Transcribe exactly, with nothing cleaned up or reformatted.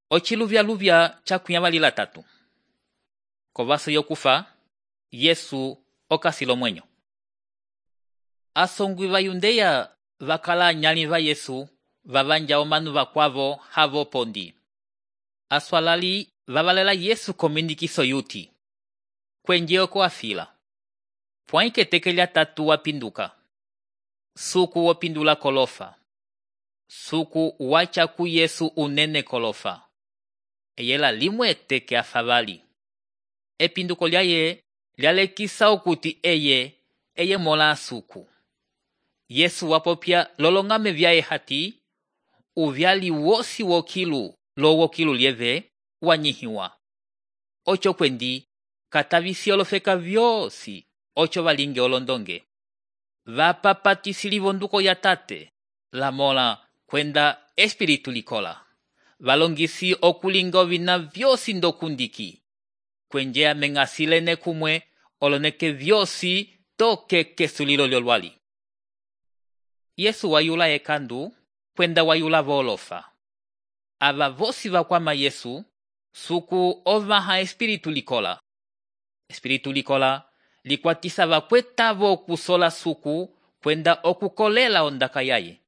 Ociluvyaluvya cakuyavalila tatu. Kovaso yokufa, Yesu okasila omwenyo. Asongwi va Yundeya vakala anyali va Yesu vavanja omanu vakwavo havo pondi. Aswalali vavalela Yesu komindikiso yuti. Kwenje oko afila. Pwãyi keteke lya tatu wapinduka. Suku wopindula kolofa. Suku wacha ku Yesu unene kolofa. Eyela limwe eteke afavali. Epinduko lyaye lyalekisa okuti eye eye mola suku. Yesu wapopya lolongame vyaye hati uvyali wosi wokilu lo wokilu lieve wanyihiwa. Ocho kwendi katavisi olofeka vyosi ocho valinge olondonge. Vapapatisili vonduko ya tate la mola kwenda espiritu likola. Valongisi okulinga ovina vyosi ndokundiki. Kwenje amengasilene kumwe oloneke vyosi toke kesulilo lyolwali. Yesu wayula ekandu kwenda wayula volofa. Ava vosi vakwama Yesu suku ovaha espiritu likola. Espiritu likola likwatisa vakwetavo okusola suku kwenda okukolela ondaka yaye.